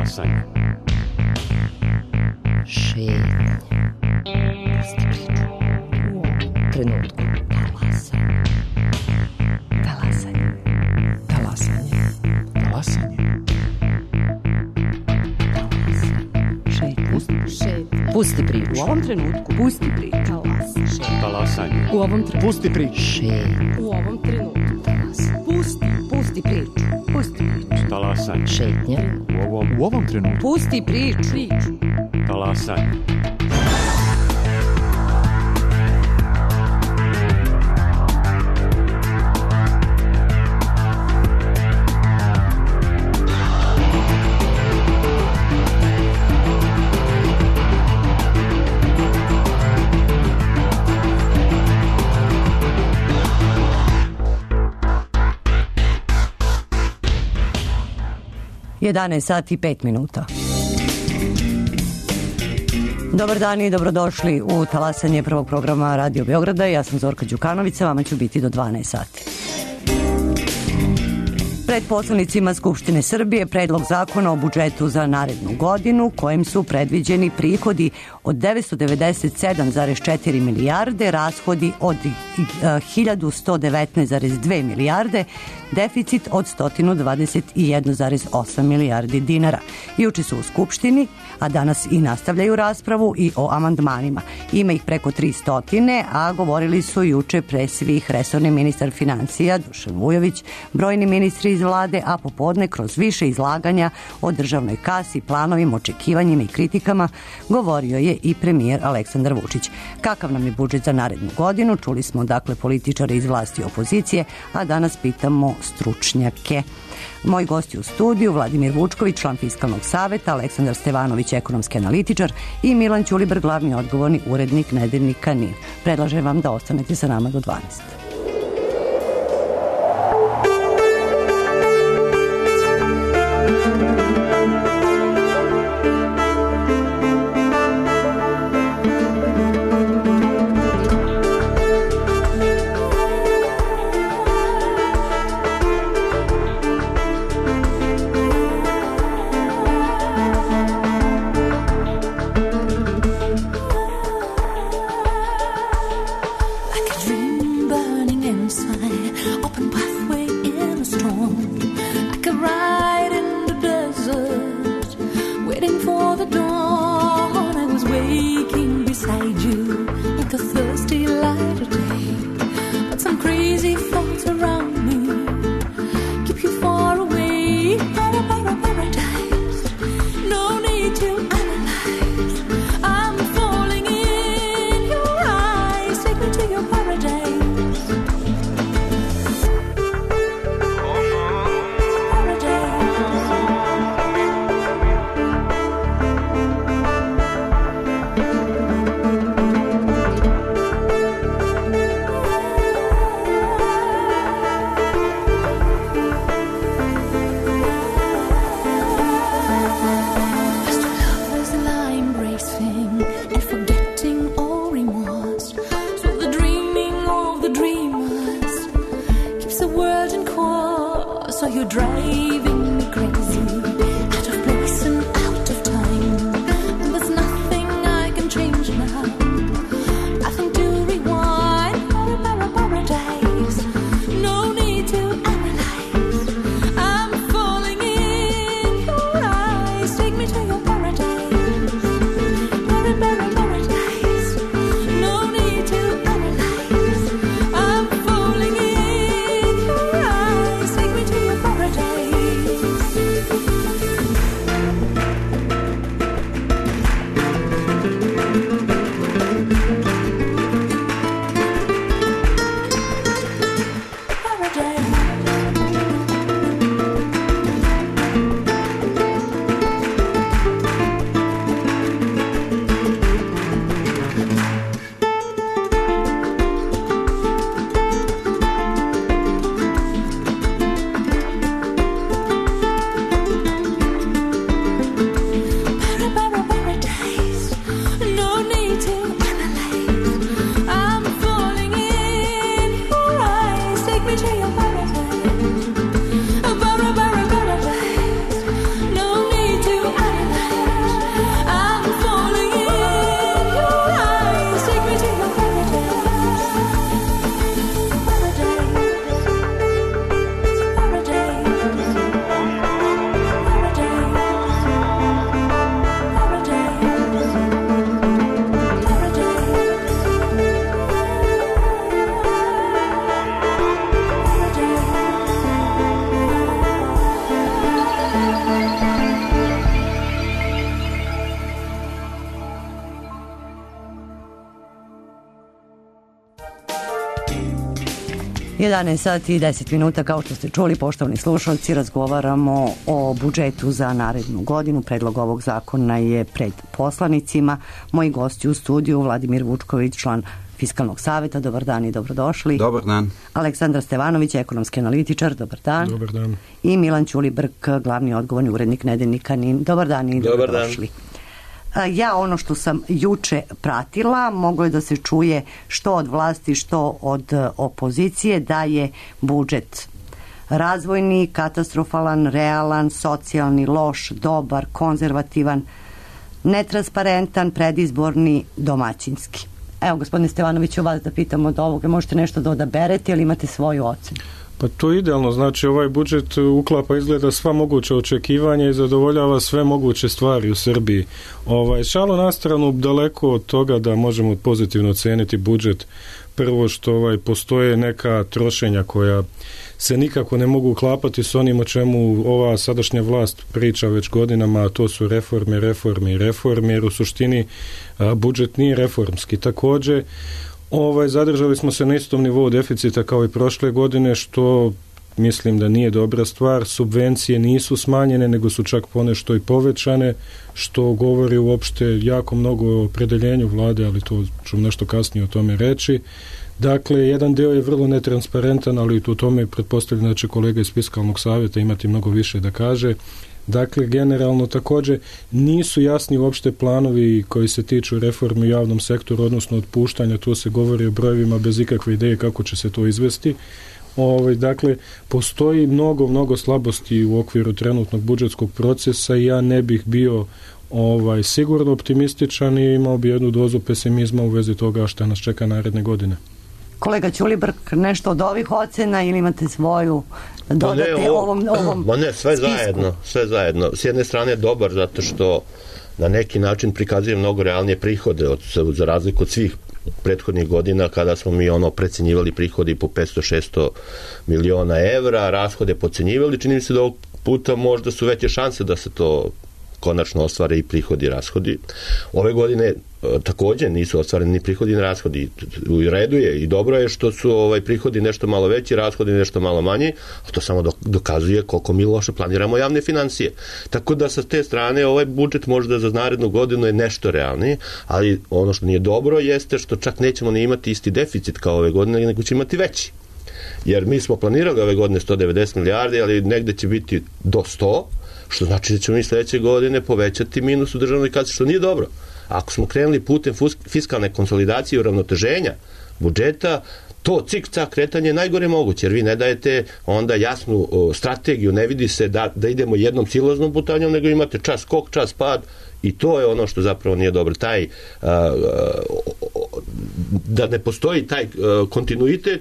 Talasanje. Šetnje. Pusti priču. U ovom trenutku. Talasanje. Talasanje. Talasanje. Šetnje. Pusti priču. U ovom trenutku. Pusti priču. Talasanje. U ovom trenutku. Pusti priču. Šetnje. U ovom trenutku. Pusti priču. Pusti priču. Talasanje. Šetnje. U ovom trenutku. Pusti priču. Talasanje. Jedanaest sati i 5 minuta. Dobar dan i dobrodošli u talasanje prvog programa Radio Beograda. Ja sam Zorka Đukanović, vama ću biti do 12 sati. Pred poslanicima Skupštine Srbije predlog zakona o budžetu za narednu godinu kojim su predviđeni prihodi od 997,4 milijarde, rashodi od 1119,2 milijarde, deficit od 121,8 milijardi dinara. Juče su u Skupštini, a danas i nastavljaju raspravu i o amandmanima. Ima ih preko 300, a govorili su juče pre svih resorni ministar financija Dušan Vujović, brojni ministri iz vlade, a popodne kroz više izlaganja o državnoj kasi, planovima, očekivanjima i kritikama govorio je i premijer Aleksandar Vučić. Kakav nam je budžet za narednu godinu? Čuli smo dakle političare iz vlasti i opozicije, a danas pitamo stručnjake. Moji gosti u studiju, Vladimir Vučković, član Fiskalnog saveta, Aleksandar Stevanović, ekonomski analitičar i Milan Ćuliber, glavni odgovorni urednik nedeljnika NIN. Predlažem vam da ostanete sa nama do 12. 11 sati i 10 minuta, kao što ste čuli, poštovani slušalci, razgovaramo o budžetu za narednu godinu. Predlog ovog zakona je pred poslanicima. Moji gosti u studiju: Vladimir Vučković, član Fiskalnog saveta. Dobar dan i dobrodošli. Dobar dan. Aleksandar Stevanović, ekonomski analitičar. Dobar dan. Dobar dan. I Milan Ćulibrk, glavni odgovorni urednik nedeljnika NIN. Dobar dan i dobrodošli. Ja ono što sam juče pratila, moglo je da se čuje što od vlasti, što od opozicije, da je budžet razvojni, katastrofalan, realan, socijalni, loš, dobar, konzervativan, netransparentan, predizborni, domaćinski. Evo, gospodine Stevanoviću, vas da pitam od ovoga, možete nešto da odaberete ili imate svoju ocenu? Pa to je idealno, znači ovaj budžet uklapa, izgleda, sva moguća očekivanja i zadovoljava sve moguće stvari u Srbiji. Šalu na stranu, daleko od toga da možemo pozitivno oceniti budžet. Prvo što postoje neka trošenja koja se nikako ne mogu uklapati s onim o čemu ova sadašnja vlast priča već godinama, a to su reforme, jer u suštini budžet nije reformski. Također, zadržali smo se na istom nivou deficita kao i prošle godine, što mislim da nije dobra stvar. Subvencije nisu smanjene, nego su čak ponešto i povećane, što govori uopšte jako mnogo o opredeljenju vlade, ali to ću nešto kasnije o tome reći. Dakle, jedan deo je vrlo netransparentan, ali u tome pretpostavljam da će kolega iz Fiskalnog savjeta imati mnogo više da kaže. Dakle, generalno također nisu jasni uopšte planovi koji se tiču reforme u javnom sektoru, odnosno otpuštanja. Tu se govori o brojevima bez ikakve ideje kako će se to izvesti. Dakle, postoji mnogo slabosti u okviru trenutnog budžetskog procesa i ja ne bih bio sigurno optimističan i imao bi jednu dozu pesimizma u vezi toga što nas čeka naredne godine. Kolega Ćulibrk, nešto od ovih ocena ili imate svoju dodate ovom sve zajedno. S jedne strane dobar zato što na neki način prikazuje mnogo realnije prihode za razliku od svih prethodnih godina kada smo mi precenjivali prihodi po 500-600 miliona evra, rashode pocenjivali. Čini mi se da ovog puta možda su veće šanse da se to konačno ostvare i prihodi i rashodi. Ove godine također nisu ostvareni ni prihodi ni rashodi. U redu je i dobro je što su prihodi nešto malo veći, rashodi nešto malo manji, a to samo dokazuje koliko mi loše planiramo javne financije. Tako da sa te strane ovaj budžet možda za narednu godinu je nešto realniji, ali ono što nije dobro jeste što čak nećemo ni imati isti deficit kao ove godine, nego će imati veći. Jer mi smo planirali ove godine 190 milijardi, ali negde će biti do 100, što znači da ćemo mi sljedeće godine povećati minus u državnoj kasi, što nije dobro. Ako smo krenuli putem fiskalne konsolidacije i uravnoteženja budžeta, to cik-cak kretanje je najgore moguće, jer vi ne dajete onda jasnu strategiju, ne vidi se da idemo jednom silaznom putanjom, nego imate čas skok, čas pad, i to je ono što zapravo nije dobro. Da ne postoji taj kontinuitet,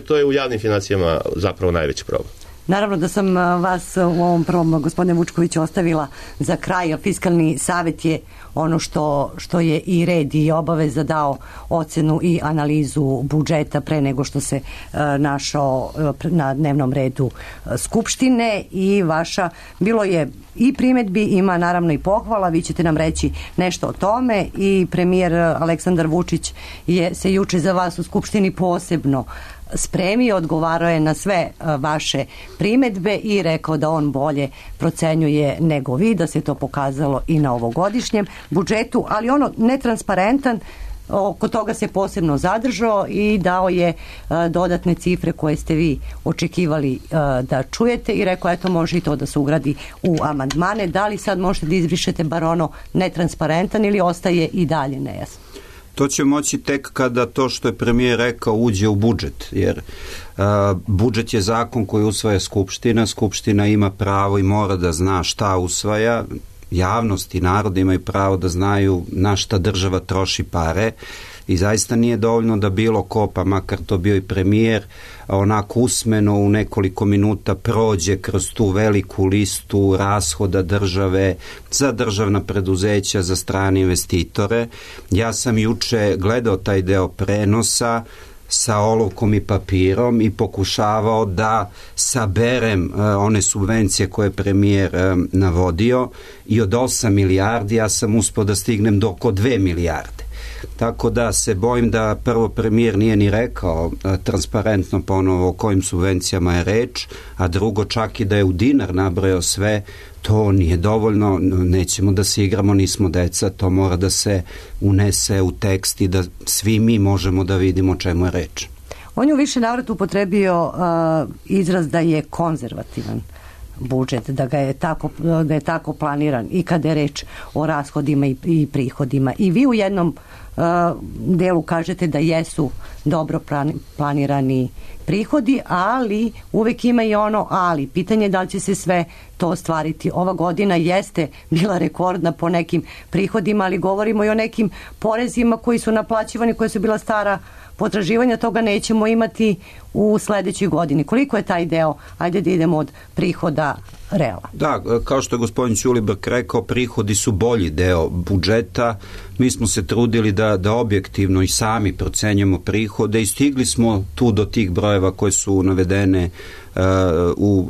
to je u javnim financijama zapravo najveći problem. Naravno da sam vas u ovom prvom, gospodine Vučković, ostavila za kraj, a Fiskalni savjet je ono što je i red i obaveza dao ocenu i analizu budžeta pre nego što se našao na dnevnom redu Skupštine, i bilo je i primedbi, ima naravno i pohvala, vi ćete nam reći nešto o tome, i premijer Aleksandar Vučić se juče za vas u Skupštini posebno spremio, odgovarao je na sve vaše primedbe i rekao da on bolje procenjuje nego vi, da se to pokazalo i na ovogodišnjem budžetu, ali netransparentan, oko toga se posebno zadržao i dao je dodatne cifre koje ste vi očekivali da čujete i rekao, eto, može i to da se ugradi u amandmane. Da li sad možete da izbrišete bar netransparentan ili ostaje i dalje nejasno? To će moći tek kada to što je premijer rekao uđe u budžet, jer budžet je zakon koji usvaja Skupština. Skupština ima pravo i mora da zna šta usvaja. Javnost i narod imaju pravo da znaju na šta država troši pare, i zaista nije dovoljno da bilo ko, pa makar to bio i premijer, onako usmeno u nekoliko minuta prođe kroz tu veliku listu rashoda države za državna preduzeća, za strane investitore. Ja sam juče gledao taj deo prenosa sa olovkom i papirom i pokušavao da saberem one subvencije koje je premijer navodio, i od 8 milijardi ja sam uspio da stignem do oko 2 milijarde. tako da se bojim da prvo premijer nije ni rekao transparentno ponovo o kojim subvencijama je reč, a drugo čak i da je u dinar nabrojao sve, to nije dovoljno, nećemo da se igramo, nismo deca, to mora da se unese u tekst i da svi mi možemo da vidimo o čemu je reč. On je u više navrata upotrebio izraz da je konzervativan budžet, da je tako planiran i kada je reč o rashodima i prihodima. I vi u jednom delu kažete da jesu dobro planirani prihodi, ali uvek ima i ono ali. Pitanje je da li će se sve to ostvariti. Ova godina jeste bila rekordna po nekim prihodima, ali govorimo i o nekim porezima koji su naplaćivani, koja su bila stara potraživanja, toga nećemo imati u sledećoj godini. Koliko je taj deo, ajde da idemo od prihoda, realan? Da, kao što je gospodin Ćulibrk rekao, prihodi su bolji deo budžeta. Mi smo se trudili da objektivno i sami procenjujemo prihode i stigli smo tu do tih brojeva koje su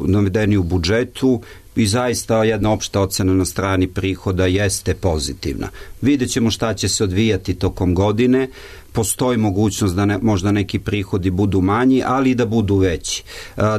navedeni u budžetu. I zaista jedna opšta ocena na strani prihoda jeste pozitivna. Vidjet ćemo šta će se odvijati tokom godine. Postoji mogućnost da možda neki prihodi budu manji, ali i da budu veći.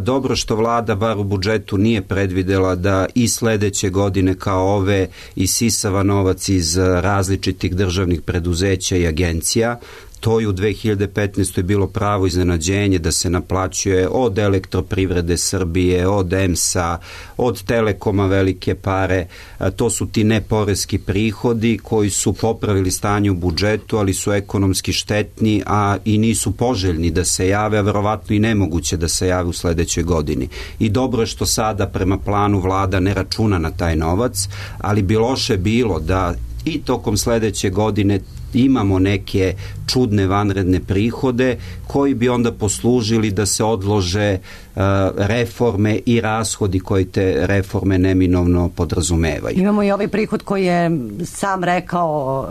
Dobro što vlada bar u budžetu nije predvidela da i sledeće godine kao ove isisava novac iz različitih državnih preduzeća i agencija. To je u 2015. bilo pravo iznenađenje da se naplaćuje od Elektroprivrede Srbije, od EMS-a, od Telekoma velike pare. To su ti neporeski prihodi koji su popravili stanje u budžetu, ali su ekonomski štetni, a i nisu poželjni da se jave, a verovatno i nemoguće da se jave u sledećoj godini. I dobro je što sada prema planu vlada ne računa na taj novac, ali bi loše bilo da i tokom sledeće godine imamo neke čudne vanredne prihode koji bi onda poslužili da se odlože reforme i rashodi koji te reforme neminovno podrazumevaju. Imamo i ovaj prihod koji je sam rekao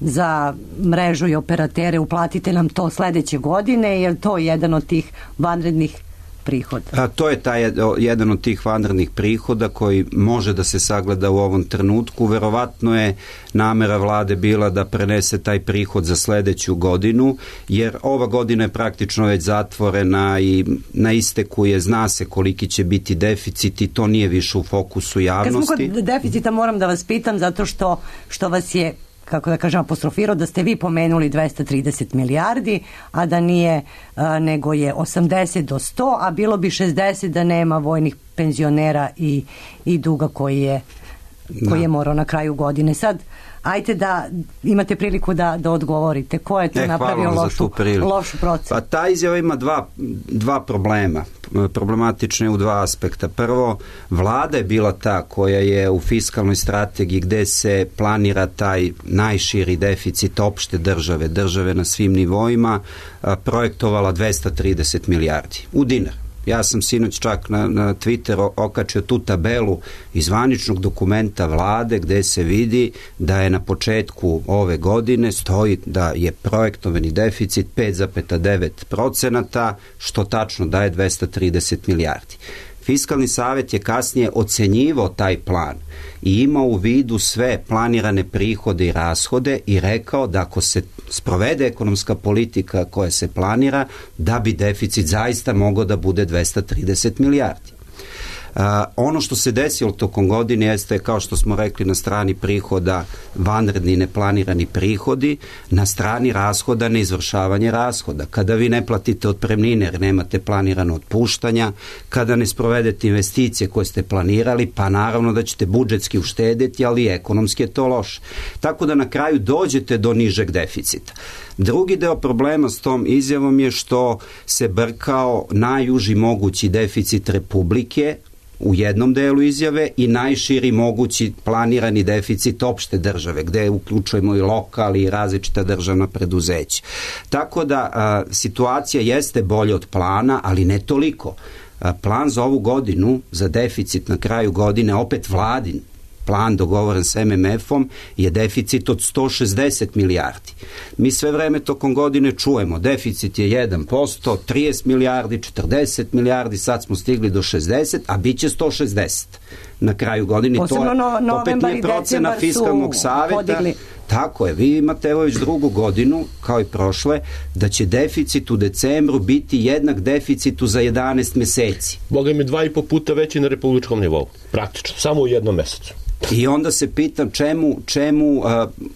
za mrežu i operatere, uplatite nam to sledeće godine, jer to je jedan od tih vanrednih prihoda. To je jedan od tih vanrednih prihoda koji može da se sagleda u ovom trenutku. Verovatno je namera vlade bila da prenese taj prihod za sledeću godinu, jer ova godina je praktično već zatvorena i na isteku je, zna se koliki će biti deficit i to nije više u fokusu javnosti. Kad smo kod deficita moram da vas pitam zato što vas je, kako da kažem, apostrofirao da ste vi pomenuli 230 milijardi, a da nije, nego je 80 do 100, a bilo bi 60 da nema vojnih penzionera i duga koji je morao na kraju godine. Sad, ajte da imate priliku da odgovorite. Ko je to napravio lošu procenu? Pa ta izjava ima dva problema. Problematične u dva aspekta. Prvo, vlada je bila ta koja je u fiskalnoj strategiji gde se planira taj najširi deficit opšte države na svim nivoima, projektovala 230 milijardi u dinar. Ja sam sinoć čak na Twitteru okačio tu tabelu iz zvaničnog dokumenta vlade gde se vidi da je na početku ove godine stoji da je projektovani deficit 5,9%, što tačno daje 230 milijardi. Fiskalni savet je kasnije ocenjivao taj plan i imao u vidu sve planirane prihode i rashode i rekao da ako se sprovede ekonomska politika koja se planira, da bi deficit zaista mogao da bude 230 milijardi. Ono što se desilo tokom godine jeste, kao što smo rekli, na strani prihoda vanredni neplanirani prihodi, na strani rashoda neizvršavanje rashoda. Kada vi ne platite otpremnine jer nemate planirano otpuštanja, kada ne sprovedete investicije koje ste planirali, pa naravno da ćete budžetski uštedeti, ali ekonomski je to loše. Tako da na kraju dođete do nižeg deficita. Drugi deo problema s tom izjavom je što se brkao najuži mogući deficit Republike u jednom delu izjave i najširi mogući planirani deficit opšte države, gde uključujemo i lokal i različita državna preduzeća. Tako da situacija jeste bolja od plana, ali ne toliko. Plan za ovu godinu, za deficit na kraju godine, opet vladin plan dogovoren s MMF-om, je deficit od 160 milijardi. Mi sve vreme tokom godine čujemo, deficit je 1%, 30 milijardi, 40 milijardi, sad smo stigli do 60, a bit će 160 na kraju godine. Posebno to opet nije procena fiskalnog saveta. Tako je, vi imate evo već drugu godinu, kao i prošle, da će deficit u decembru biti jednak deficitu za 11 meseci. Boga mi 2,5 puta veći na republičkom nivou, praktično, samo u jednom mesecu. I onda se pitam čemu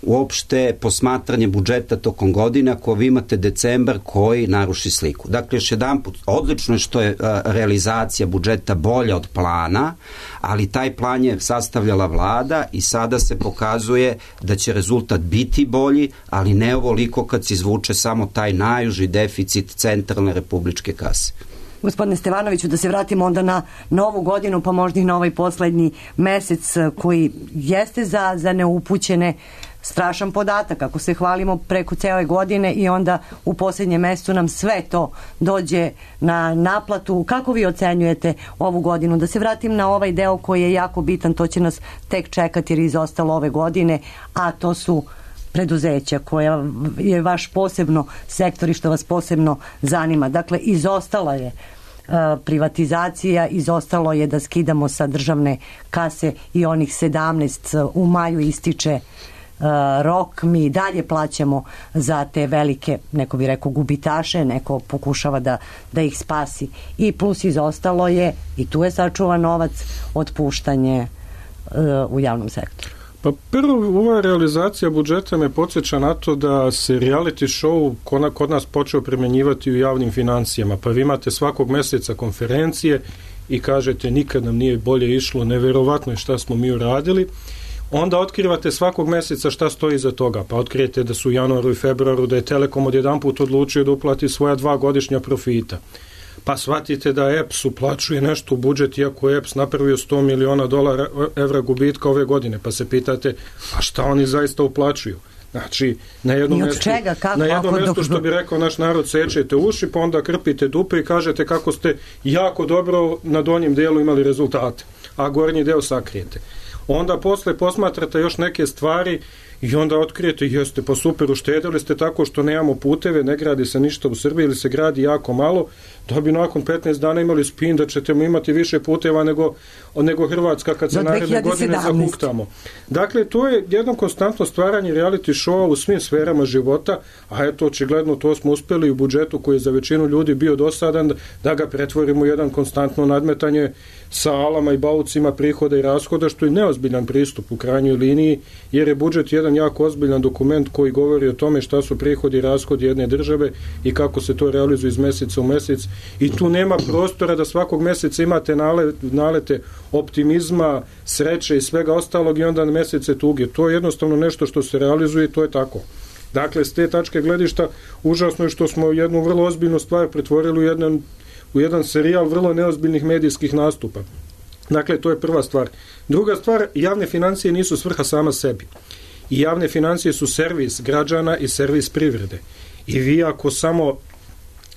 uopšte posmatranje budžeta tokom godina ako vi imate decembar koji naruši sliku. Dakle, još jedanput, odlično je što je realizacija budžeta bolja od plana, ali taj plan je sastavljala vlada i sada se pokazuje da će rezultat biti bolji, ali ne ovoliko kad se izvuče samo taj najuži deficit centralne republičke kase. Gospodine Stevanoviću, da se vratimo onda na novu godinu, pa možda i na ovaj poslednji mesec koji jeste za neupućene strašan podatak. Ako se hvalimo preko cele godine i onda u posljednjem mesecu nam sve to dođe na naplatu. Kako vi ocenjujete ovu godinu? Da se vratim na ovaj deo koji je jako bitan, to će nas tek čekati jer je izostalo ove godine, a to su preduzeća koja je vaš posebno sektor i što vas posebno zanima. Dakle, izostala je privatizacija, izostalo je da skidamo sa državne kase i onih 17, u maju ističe rok, mi dalje plaćamo za te velike, neko bi rekao gubitaše, neko pokušava da ih spasi. I plus izostalo je, i tu je sačuvan novac, otpuštanje u javnom sektoru. Pa prvo, ova realizacija budžeta me podsjeća na to da se reality show kod nas počeo primjenjivati u javnim financijama. Pa vi imate svakog meseca konferencije i kažete nikad nam nije bolje išlo, neverovatno je šta smo mi uradili. Onda otkrivate svakog meseca šta stoji iza toga. Pa otkrijete da su u januaru i februaru da je Telekom odjedanput odlučio da uplati svoja 2 godišnja profita. Pa shvatite da EPS uplaćuje nešto u budžet, iako je EPS napravio $100 miliona evra gubitka ove godine. Pa se pitate, a šta oni zaista uplaćuju? Znači, na jednom mjestu, što bi rekao naš narod, sečete uši, pa onda krpite dupe i kažete kako ste jako dobro na donjem delu imali rezultate, a gornji deo sakrijete. Onda posle posmatrate još neke stvari i onda otkrijete, jeste pa super, uštedili ste tako što nemamo puteve, ne gradi se ništa u Srbiji ili se gradi jako malo, da bi nakon 15 dana imali spin da ćete imati više puteva nego Hrvatska kad se naredne godine zahuktamo. Dakle, to je jedno konstantno stvaranje reality showa u svim sferama života, a eto, očigledno to smo uspjeli u budžetu koji je za većinu ljudi bio dosadan, da ga pretvorimo u jedan konstantno nadmetanje sa alama i baucima prihoda i rashoda, što je neozbiljan pristup u krajnjoj liniji, jer je budžet jedan jako ozbiljan dokument koji govori o tome šta su prihodi i rashodi jedne države i kako se to realizuje iz meseca u mesec. I tu nema prostora da svakog meseca imate nalete optimizma, sreće i svega ostalog i onda na mesece tuge. To je jednostavno nešto što se realizuje i to je tako. Dakle, s te tačke gledišta užasno je što smo jednu vrlo ozbiljnu stvar pretvorili u jedan serijal vrlo neozbiljnih medijskih nastupa. Dakle, to je prva stvar. Druga stvar, javne financije nisu svrha sama sebi. I javne financije su servis građana i servis privrede. I vi ako samo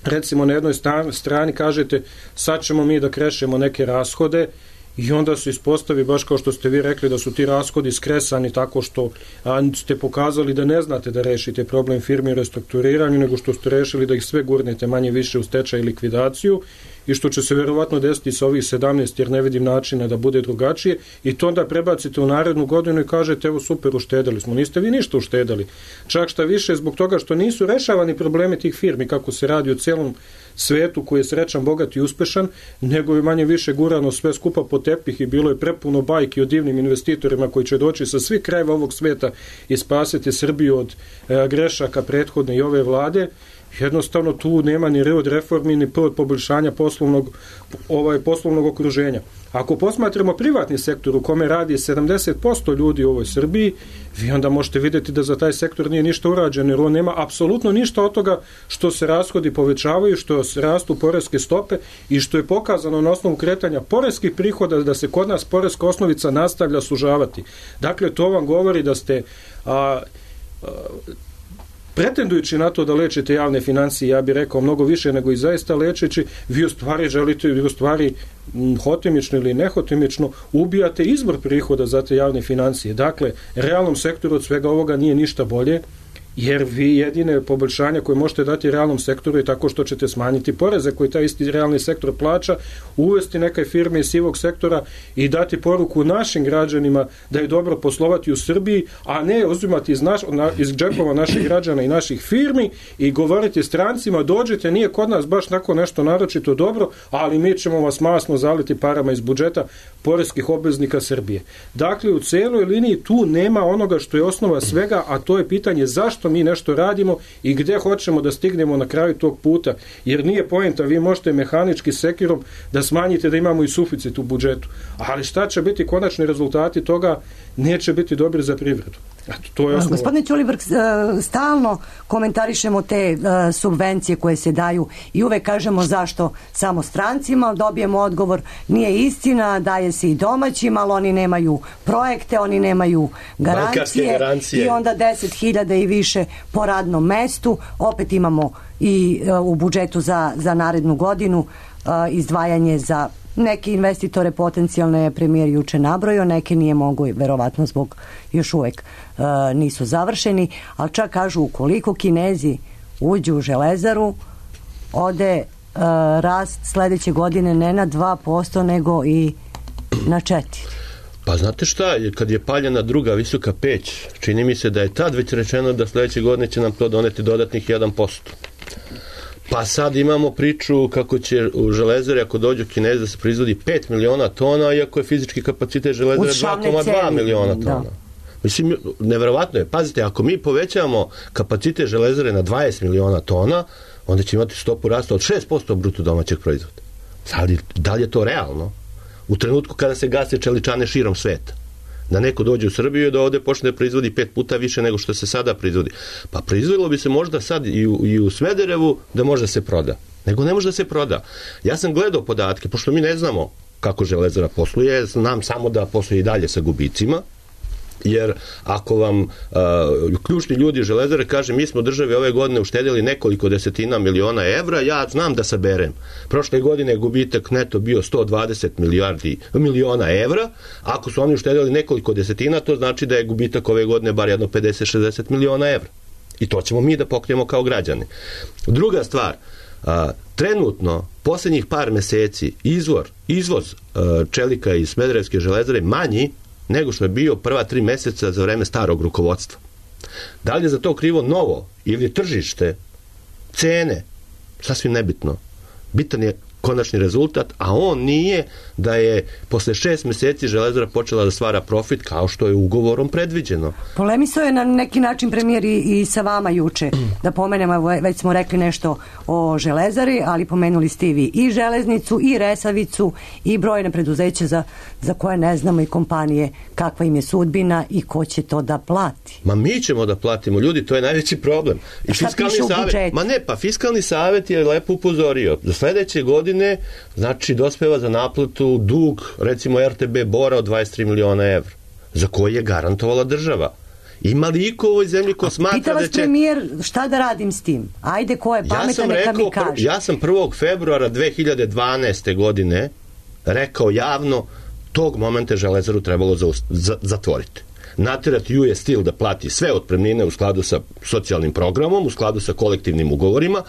recimo na jednoj strani kažete sad ćemo mi da krešemo neke rashode i onda se ispostavi, baš kao što ste vi rekli, da su ti rashodi skresani tako što ste pokazali da ne znate da rešite problem firmi u restrukturiranju, nego što ste rešili da ih sve gurnete manje više u stečaj i likvidaciju i što će se verovatno desiti sa ovih 17 jer ne vidim načina da bude drugačije i to onda prebacite u narednu godinu i kažete evo super, uštedali smo. Niste vi ništa uštedali. Čak šta više zbog toga što nisu rešavani problemi tih firmi kako se radi o celom svetu koji je srećan, bogat i uspešan, nego je manje više gurano sve skupa po tepih i bilo je prepuno bajki o divnim investitorima koji će doći sa svih krajeva ovog sveta i spasiti Srbiju od grešaka prethodne i ove vlade. Jednostavno tu nema ni R od reformi ni P od poboljšanja poslovnog okruženja. Ako posmatramo privatni sektor u kome radi 70% ljudi u ovoj Srbiji, vi onda možete vidjeti da za taj sektor nije ništa urađeno, jer on nema apsolutno ništa od toga što se rashodi povećavaju, što rastu poreske stope i što je pokazano na osnovu kretanja poreskih prihoda da se kod nas poreska osnovica nastavlja sužavati. Dakle, to vam govori da ste pretendujući na to da lečite javne financije, ja bih rekao mnogo više nego i zaista lečeći, vi u stvari želite, vi u stvari hotimično ili nehotimično ubijate izvor prihoda za te javne financije. Dakle, realnom sektoru od svega ovoga nije ništa bolje jer vi jedine poboljšanja koje možete dati realnom sektoru je tako što ćete smanjiti poreze koji taj isti realni sektor plaća, uvesti neke firme iz sivog sektora i dati poruku našim građanima da je dobro poslovati u Srbiji, a ne uzimati iz džepova naših građana i naših firmi i govoriti strancima, dođite, nije kod nas baš tako nešto naročito dobro, ali mi ćemo vas masno zaliti parama iz budžeta poreskih obveznika Srbije. Dakle, u cijeloj liniji tu nema onoga što je osnova svega, a to je pitanje zašto mi nešto radimo i gdje hoćemo da stignemo na kraju tog puta, jer nije poenta, vi možete mehanički sekirom da smanjite da imamo i suficit u budžetu, ali šta će biti konačni rezultati toga, neće biti dobri za privredu. To je Gospodine Ćulibrk, stalno komentarišemo te subvencije koje se daju i uvek kažemo zašto samo strancima, dobijemo odgovor, nije istina, daje se i domaćim, ali oni nemaju projekte, oni nemaju garancije i onda 10.000 i više po radnom mestu. Opet imamo i u budžetu za narednu godinu izdvajanje za neke investitore potencijalne je premijer juče nabrojio, neke nije mogu, verovatno zbog još uvek nisu završeni, ali čak kažu ukoliko Kinezi uđu u Železaru, ode rast sledeće godine ne na 2%, nego i na 4%. Pa znate šta, kad je paljena druga visoka peć, čini mi se da je tad već rečeno da sledeće godine će nam to doneti dodatnih 1%. Pa sad imamo priču kako će u Železari, ako dođu Kinezi, da se proizvodi 5 miliona tona, iako je fizički kapacitet Železare 2,2 miliona tona. Da. Mislim, neverovatno je. Pazite, ako mi povećamo kapacitet Železare na 20 miliona tona, onda će imati stopu rasta od 6% bruto domaćeg proizvoda. Da li je to realno? U trenutku kada se gase čeličane širom sveta. Da neko dođe u Srbiju i da ovde počne da proizvodi 5 puta više nego što se sada proizvodi. Pa proizvodilo bi se možda sad i u Smederevu da može da se proda. Nego ne može da se proda. Ja sam gledao podatke, pošto mi ne znamo kako Železara posluje, znam samo da posluje i dalje sa gubicima, jer ako vam ključni ljudi Železare kaže mi smo državi ove godine uštedili nekoliko desetina miliona evra, ja znam da saberem. Prošle godine je gubitak neto bio 120 miliona evra, ako su oni uštedili nekoliko desetina, to znači da je gubitak ove godine bar jedno 50-60 miliona evra. I to ćemo mi da pokrijemo kao građani. Druga stvar, trenutno, posljednjih par meseci, izvoz čelika iz Smederevske Železare manji nego što je bio prva 3 meseca za vreme starog rukovodstva. Da li je za to krivo novo ili tržište, cene, sasvim nebitno. Bitan je konačni rezultat, a on nije da je posle 6 meseci Železara počela da stvara profit kao što je ugovorom predviđeno. Polemisao je na neki način premijer i sa vama juče, da pomenemo, već smo rekli nešto o Železari, ali pomenuli ste i železnicu, i Resavicu, i brojne preduzeće za koje ne znamo i kompanije kakva im je sudbina i ko će to da plati. Ma mi ćemo da platimo, ljudi, to je najveći problem. I šta piše u budžetu? Fiskalni savet je lepo upozorio. Za sledeće godine znači dospeva za naplatu dug, recimo RTB Bora od 23 miliona evra, za koji je garantovala država. Ima li iko u ovoj zemlji ko smatra da će... Pita vas premijer šta da radim s tim? Ajde, ko je pametan, neka mi kaže. Ja sam 1. februara 2012. godine rekao javno, tog momenta Železaru trebalo zatvoriti. Naterati US Steel da plati sve otpremnine u skladu sa socijalnim programom, u skladu sa kolektivnim ugovorima,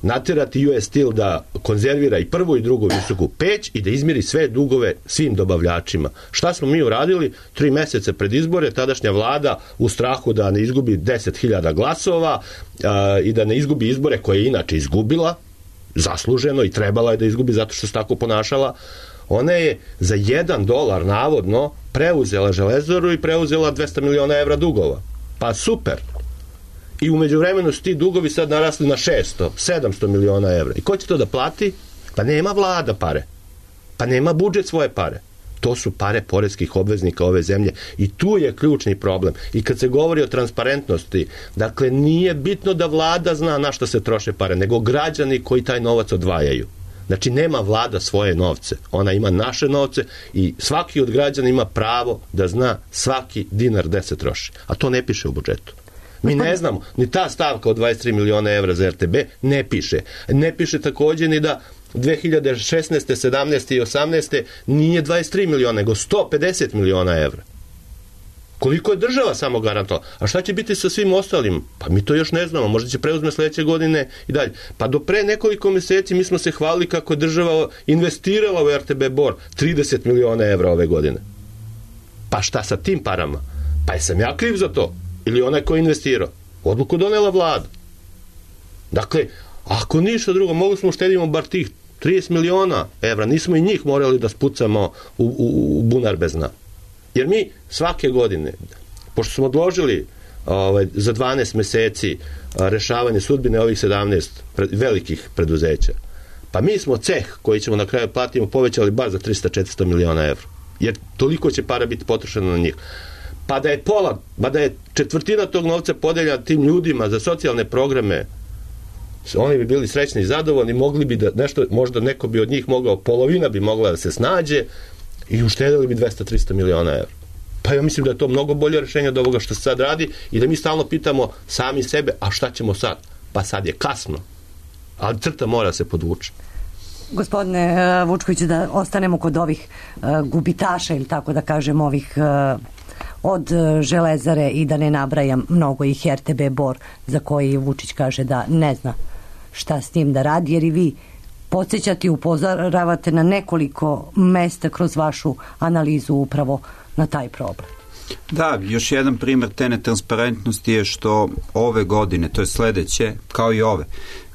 naterati US Steel da konzervira i prvu i drugu visoku peć i da izmiri sve dugove svim dobavljačima. Šta smo mi uradili? 3 meseca pred izbore, tadašnja vlada u strahu da ne izgubi 10.000 glasova i da ne izgubi izbore koje je inače izgubila, zasluženo, i trebala je da izgubi zato što se tako ponašala, ona je za $1 navodno preuzela Železaru i preuzela 200 miliona evra dugova. Pa super. I umeđu vremenu su ti dugovi sad narasli na 600-700 miliona evra. I ko će to da plati? Pa nema vlada pare. Pa nema budžet svoje pare. To su pare poreskih obveznika ove zemlje. I tu je ključni problem. I kad se govori o transparentnosti, dakle nije bitno da vlada zna na što se troše pare, nego građani koji taj novac odvajaju. Znači, nema vlada svoje novce. Ona ima naše novce i svaki od građana ima pravo da zna svaki dinar gde se troši. A to ne piše u budžetu. Mi ne znamo, ni ta stavka od 23 miliona evra za RTB ne piše. Ne piše takođe ni da 2016. 17. i 18. nije 23 miliona, nego 150 miliona evra. Koliko je država samo garantovala? A šta će biti sa svim ostalim? Pa mi to još ne znamo, možda će preuzme sledeće godine i dalje. Pa do pre nekoliko meseci mi smo se hvalili kako je država investirala u RTB Bor 30 miliona evra ove godine. Pa šta sa tim parama? Pa jesam ja kriv za to? Ili onaj ko je investirao? Odluku donela vlada. Dakle, ako ništa drugo, mogli smo uštedimo bar tih 30 miliona evra, nismo i njih morali da spucamo u bunar bez dna. Jer mi svake godine, pošto smo odložili za 12 meseci rešavanje sudbine ovih 17 velikih preduzeća, pa mi smo ceh koji ćemo na kraju platimo povećali bar za 300-400 miliona evra. Jer toliko će para biti potrošeno na njih. Pa da je pola, da je četvrtina tog novca podeljena tim ljudima za socijalne programe, oni bi bili srećni i zadovoljni, mogli bi da nešto, možda neko bi od njih mogao, polovina bi mogla da se snađe i uštedili bi 200-300 miliona evra. Pa ja mislim da je to mnogo bolje rešenje od ovoga što se sad radi i da mi stalno pitamo sami sebe, a šta ćemo sad? Pa sad je kasno. Ali crta mora se podvući. Gospodine Vučkoviću, da ostanemo kod ovih gubitaša, ili tako da kažem, ovih od Železare i da ne nabrajam mnogo ih, RTB Bor, za koji Vučić kaže da ne zna šta s tim da radi, jer i vi podsjećate i upozoravate na nekoliko mesta kroz vašu analizu upravo na taj problem. Da, još jedan primjer te netransparentnosti je što ove godine, to je sledeće, kao i ove,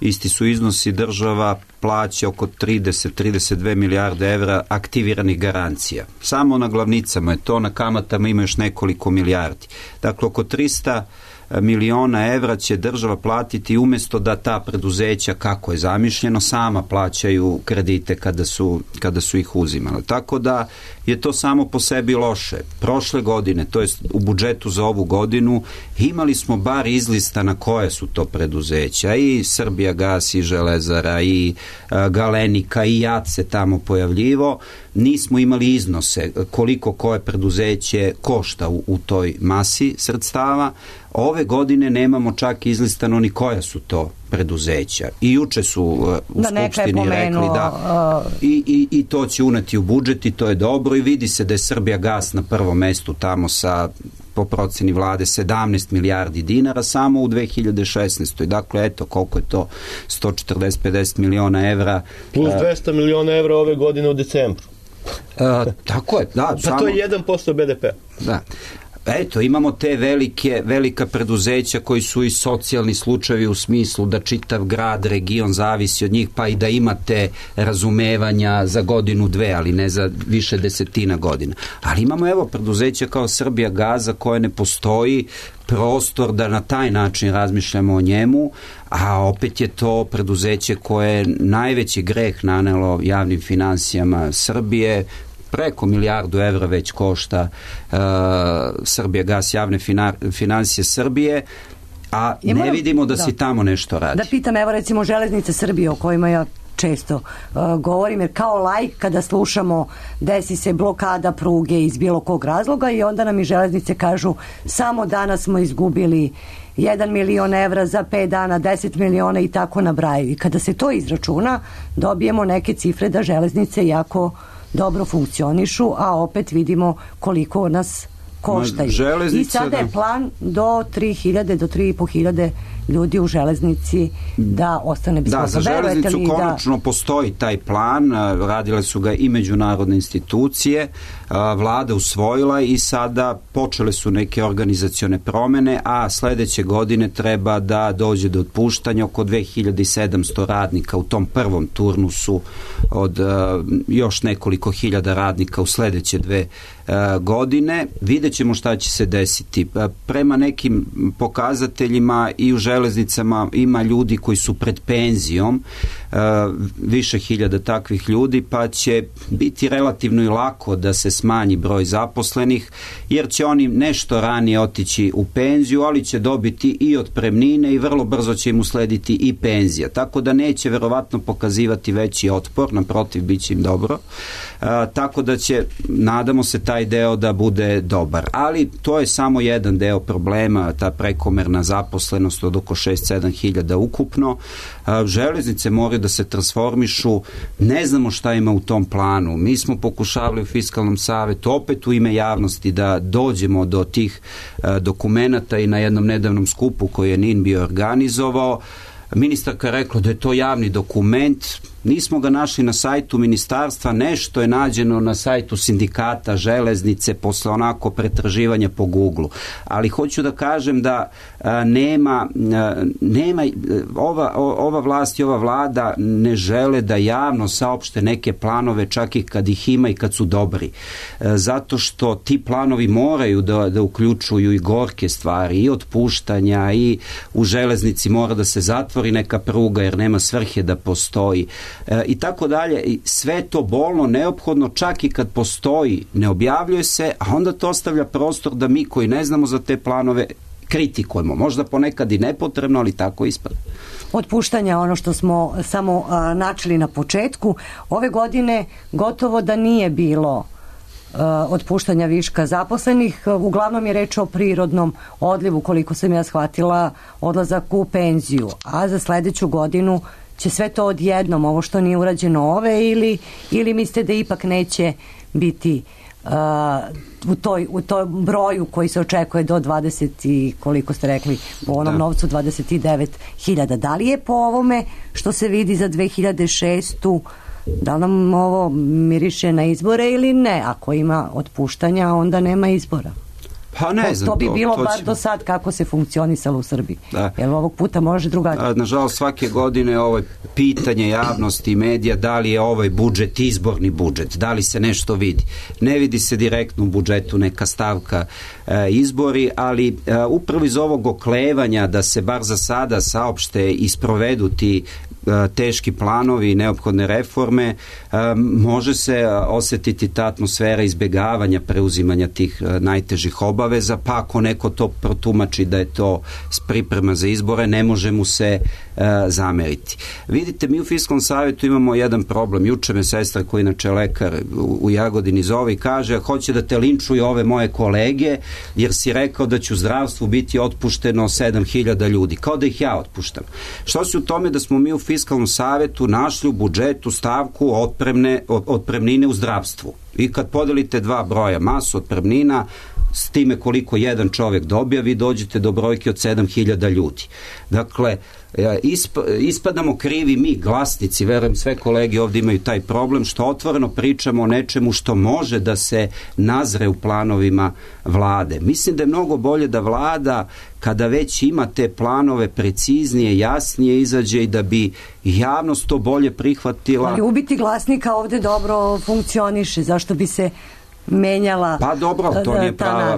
isti su iznosi, država plaća oko 30-32 milijarde evra aktiviranih garancija. Samo na glavnicama je to, na kamatama ima još nekoliko milijardi. Dakle, oko 300 miliona evra će država platiti umjesto da ta preduzeća, kako je zamišljeno, sama plaćaju kredite kada su ih uzimali. Tako da je to samo po sebi loše. Prošle godine, to jest u budžetu za ovu godinu, imali smo bar izlistana koje su to preduzeća, i Srbijagas, i Železara, i Galenika, i JAT se tamo pojavljivo. Nismo imali iznose koliko koje preduzeće košta u toj masi sredstava. Ove godine nemamo čak izlistano ni koja su to preduzeća. I juče su u Skupštini rekli da i to će uneti u budžet i to je dobro, i vidi se da je Srbijagas na prvom mestu tamo sa, po proceni vlade, 17 milijardi dinara samo u 2016. Dakle, eto koliko je to, 140-50 miliona evra. Plus 200 miliona evra ove godine u decembru. Tako je, da. Pa to je 1% BDP. Da. Eto, imamo te velika preduzeća koji su i socijalni slučajevi u smislu da čitav grad, region zavisi od njih, pa i da imate razumevanja za godinu, dve, ali ne za više desetina godina. Ali imamo evo preduzeća kao Srbijagaza koje ne postoji prostor da na taj način razmišljamo o njemu, a opet je to preduzeće koje je najveći greh nanelo javnim finansijama Srbije. Preko milijardu evra već košta Srbijagas, javne finansije Srbije, a ne vidimo da se tamo nešto radi. Da pitam, evo recimo Železnice Srbije, o kojima ja često govorim, jer kao laik kada slušamo desi se blokada pruge iz bilo kog razloga i onda nam i Železnice kažu samo danas smo izgubili 1 milion evra, za 5 dana 10 miliona i tako nabrajaju. I kada se to izračuna, dobijemo neke cifre da Železnice jako dobro funkcionišu, a opet vidimo koliko nas koštaju. I sada je plan do 3.000, do 3.500 ljudi u Železnici da ostane bez posla. Da, za Železnicu konačno postoji taj plan, radile su ga i međunarodne institucije, vlada usvojila i sada počele su neke organizacione promene, a sledeće godine treba da dođe do otpuštanja oko 2700 radnika u tom prvom turnusu od još nekoliko hiljada radnika u sledeće 2 godine. Vidjet ćemo šta će se desiti. Prema nekim pokazateljima i u Železnicama ima ljudi koji su pred penzijom, više hiljada takvih ljudi, pa će biti relativno i lako da se smanji broj zaposlenih, jer će oni nešto ranije otići u penziju, ali će dobiti i otpremnine i vrlo brzo će im uslediti i penzija. Tako da neće verovatno pokazivati veći otpor, naprotiv, bit će im dobro. Tako da će, nadamo se, taj deo da bude dobar. Ali to je samo jedan deo problema, ta prekomerna zaposlenost od oko oko 6-7 hiljada ukupno. Železnice moraju da se transformišu, ne znamo šta ima u tom planu. Mi smo pokušavali u Fiskalnom savetu opet u ime javnosti da dođemo do tih dokumenata i na jednom nedavnom skupu koji je NIN bio organizovao. Ministarka je rekla da je to javni dokument, nismo ga našli na sajtu ministarstva, nešto je nađeno na sajtu sindikata železnice posle onako pretraživanja po Google. Ali hoću da kažem da nema ova vlast i ova vlada ne žele da javno saopšte neke planove, čak i kad ih ima i kad su dobri. Zato što ti planovi moraju da uključuju i gorke stvari, i otpuštanja, i u železnici mora da se zatvori neka pruga jer nema svrhe da postoji. I tako dalje. Sve to bolno, neophodno, čak i kad postoji, ne objavljuje se, a onda to ostavlja prostor da mi koji ne znamo za te planove kritikujemo. Možda ponekad i nepotrebno, ali tako ispada. Otpuštanja, ono što smo samo načeli na početku, ove godine gotovo da nije bilo otpuštanja viška zaposlenih. Uglavnom je reč o prirodnom odlivu, koliko sam ja shvatila, odlazak u penziju. A za sledeću godinu će sve to odjednom, ovo što nije urađeno ove, ili mislite da ipak neće biti u toj broju koji se očekuje do 20 i koliko ste rekli po onom novcu 29.000. Da li je po ovome što se vidi za 2006. da li nam ovo miriše na izbore ili ne? Ako ima otpuštanja, onda nema izbora. Pa ne znam. To bi bilo bar do sad kako se funkcionisalo u Srbiji. Jer ovog puta može drugačije. Nažalost, svake godine ovo pitanje javnosti i medija, da li je ovaj budžet izborni budžet, da li se nešto vidi. Ne vidi se direktno u budžetu neka stavka izbori, ali upravo iz ovog oklevanja da se bar za sada saopšte i sprovedu ti teški planovi i neophodne reforme, može se osetiti ta atmosfera izbjegavanja preuzimanja tih najtežih obaveza, pa ako neko to protumači da je to priprema za izbore, ne može mu se zameriti. Vidite, mi u Fiskalnom savetu imamo jedan problem. Juče me sestra, koji inače lekar u Jagodini, zove i kaže, hoće da te linčuju ove moje kolege, jer si rekao da će u zdravstvu biti otpušteno 7.000 ljudi. Kao da ih ja otpuštam. Što se u tome da smo mi u Fiskalnom savetu našli u budžetu stavku otpremnine u zdravstvu. I kad podelite dva broja, masu otpremnina, s time koliko jedan čovjek dobija, vi dođete do brojke od 7.000 ljudi. Dakle, ispadamo krivi mi, glasnici, verujem sve kolege ovdje imaju taj problem, što otvoreno pričamo o nečemu što može da se nazre u planovima vlade. Mislim da je mnogo bolje da vlada, kada već ima te planove, preciznije, jasnije izađe i da bi javnost to bolje prihvatila. Ali ubiti glasnika ovdje dobro funkcioniše, zašto bi se menjala. Pa dobro, to nije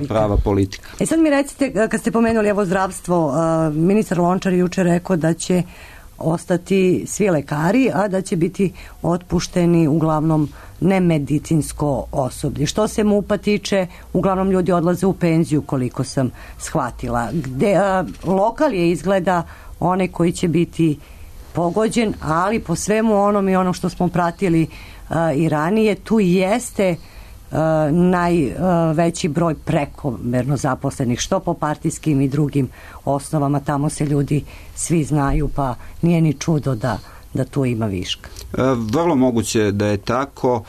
prava politika. Sad mi recite, kad ste pomenuli evo zdravstvo, ministar Lončar juče rekao da će ostati svi lekari, a da će biti otpušteni uglavnom nemedicinsko osoblje. Što se MUP-a tiče, uglavnom ljudi odlaze u penziju, koliko sam shvatila. Lokal je izgleda onaj koji će biti pogođen, ali po svemu onom i ono što smo pratili i ranije, tu jeste najveći broj prekomerno zaposlenih, što po partijskim i drugim osnovama. Tamo se ljudi svi znaju, pa nije ni čudo da tu ima viška. Vrlo moguće da je tako.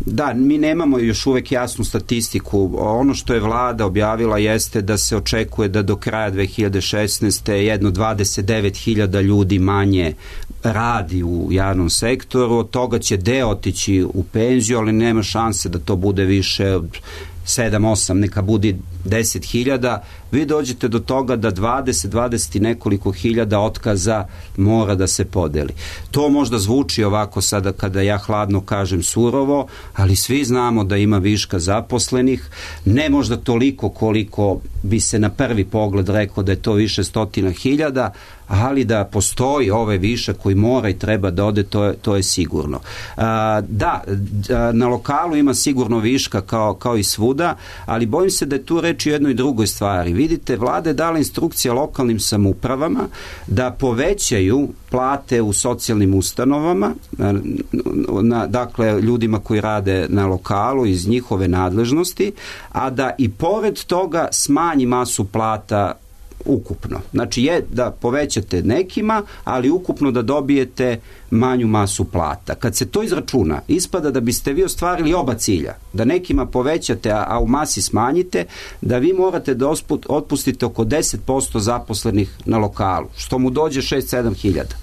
Da, mi nemamo još uvek jasnu statistiku. Ono što je vlada objavila jeste da se očekuje da do kraja 2016. jedno 29.000 ljudi manje radi u javnom sektoru, od toga će deo otići u penziju, ali nema šanse da to bude više od 7-8, neka bude 10.000, vi dođete do toga da 20 i nekoliko hiljada otkaza mora da se podeli. To možda zvuči ovako sada kada ja hladno kažem surovo, ali svi znamo da ima viška zaposlenih, ne možda toliko koliko bi se na prvi pogled rekao da je to više stotina hiljada, ali da postoji ovaj višak koji mora i treba da ode, to je sigurno. Na lokalu ima sigurno viška kao i svuda, ali bojim se da je tu reč o jednoj drugoj stvari. Vidite, vlada je dala instrukcije lokalnim samoupravama da povećaju plate u socijalnim ustanovama, dakle ljudima koji rade na lokalu iz njihove nadležnosti, a da i pored toga smanji masu plata ukupno. Znači je da povećate nekima, ali ukupno da dobijete manju masu plata. Kad se to izračuna, ispada da biste vi ostvarili oba cilja. Da nekima povećate, a u masi smanjite, da vi morate da otpustite oko 10% zaposlenih na lokalu, što mu dođe 6-7 hiljada.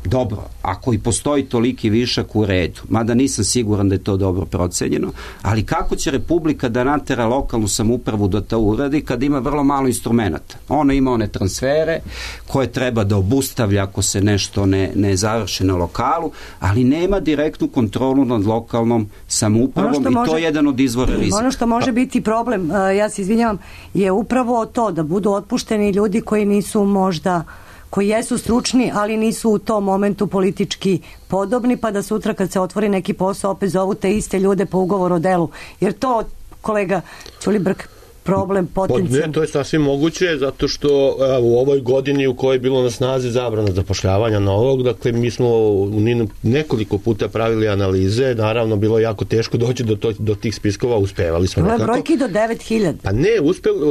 Dobro, ako i postoji toliki višak, u redu, mada nisam siguran da je to dobro procenjeno, ali kako će Republika da natera lokalnu samoupravu da to uradi kad ima vrlo malo instrumenta? Ona ima one transfere koje treba da obustavlja ako se nešto ne završi na lokalu, ali nema direktnu kontrolu nad lokalnom samoupravom i to je jedan od izvora rizika. Ono što može biti problem, ja se izvinjavam, je upravo to da budu otpušteni ljudi koji nisu možda, koji jesu stručni, ali nisu u tom momentu politički podobni, pa da sutra kad se otvori neki posao opet zovu te iste ljude po ugovoru o delu. Jer to, kolega Ćulibrk, problem potencijalno. Ne, to je sasvim moguće, zato što u ovoj godini u kojoj je bilo na snazi zabrana zapošljavanja novog, dakle mi smo nekoliko puta pravili analize, naravno bilo je jako teško doći do tih spiskova, uspevali smo. Bilo je brojki do 9.000. Pa ne,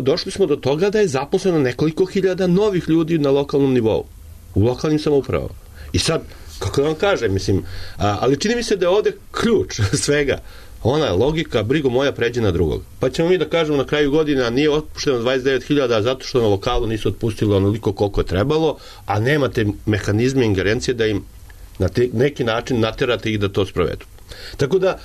došli smo do toga da je zaposleno nekoliko hiljada novih ljudi na lokalnom nivou, u lokalnim samoupravama. I sad, kako da vam kažem, mislim, ali čini mi se da je ovde ključ svega. Ona je logika, brigo moja pređe na drugog. Pa ćemo mi da kažemo na kraju godine, a nije otpušteno 29.000 zato što na lokalu nisu otpustili onoliko koliko je trebalo, a nemate mehanizme ingerencije da im na neki način naterate ih da to sprovedu. Tako da,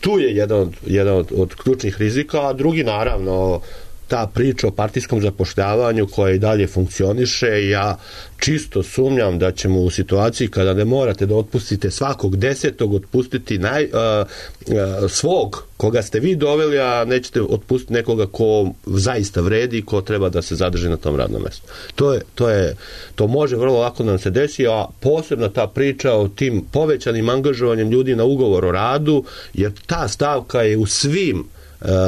tu je jedan od ključnih rizika, a drugi naravno ta priča o partijskom zapošljavanju koja i dalje funkcioniše. Ja čisto sumnjam da ćemo u situaciji kada ne morate da otpustite svakog 10. otpustiti svog koga ste vi doveli, a nećete otpustiti nekoga ko zaista vredi i ko treba da se zadrži na tom radnom mestu. To može vrlo lako da nam se desi, a posebno ta priča o tim povećanim angažovanjem ljudi na ugovor o radu, jer ta stavka je u svim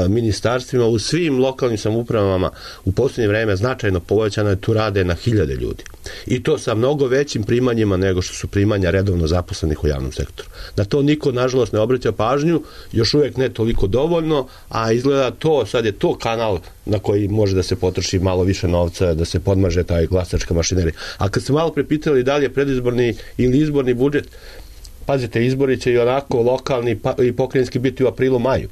ministarstvima, u svim lokalnim samoupravama u posljednje vreme značajno povećana, tu rade na hiljade ljudi. I to sa mnogo većim primanjima nego što su primanja redovno zaposlenih u javnom sektoru. Na to niko, nažalost, ne obraća pažnju, još uvijek ne toliko dovoljno, a izgleda to, sad je to kanal na koji može da se potroši malo više novca, da se podmaže taj glasačka mašinerija. A kad ste malo prepitali da li je predizborni ili izborni budžet, pazite, izbori će i onako lokalni i pokrajinski biti u aprilu, maju.